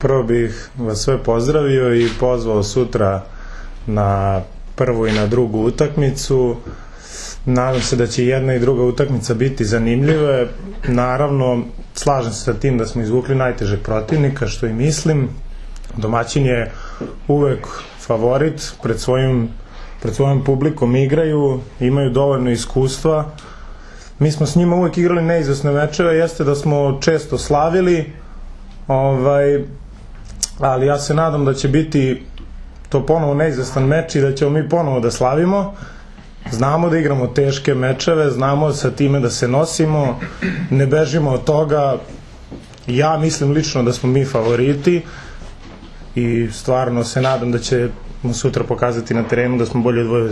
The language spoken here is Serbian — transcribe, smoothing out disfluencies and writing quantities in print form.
Prvo bih vas sve pozdravio i pozvao sutra na prvu i na drugu utakmicu. Nadam se da će jedna i druga utakmica biti zanimljive. Naravno, slažem se sa tim da smo izvukli najtežeg protivnika, što i mislim. Domaćin je uvek favorit, pred svojom publikom igraju, imaju dovoljno iskustva. Mi smo s njima uvek igrali neizvesne mečeve, jeste da smo često slavili, ali ja se nadam da će biti to ponovo neizvestan meč i da ćemo mi ponovo da slavimo. Znamo da igramo teške mečeve, znamo sa time da se nosimo, ne bežimo od toga. Ja mislim lično da smo mi favoriti i stvarno se nadam da ćemo sutra pokazati na terenu da smo bolji od Vojvodine.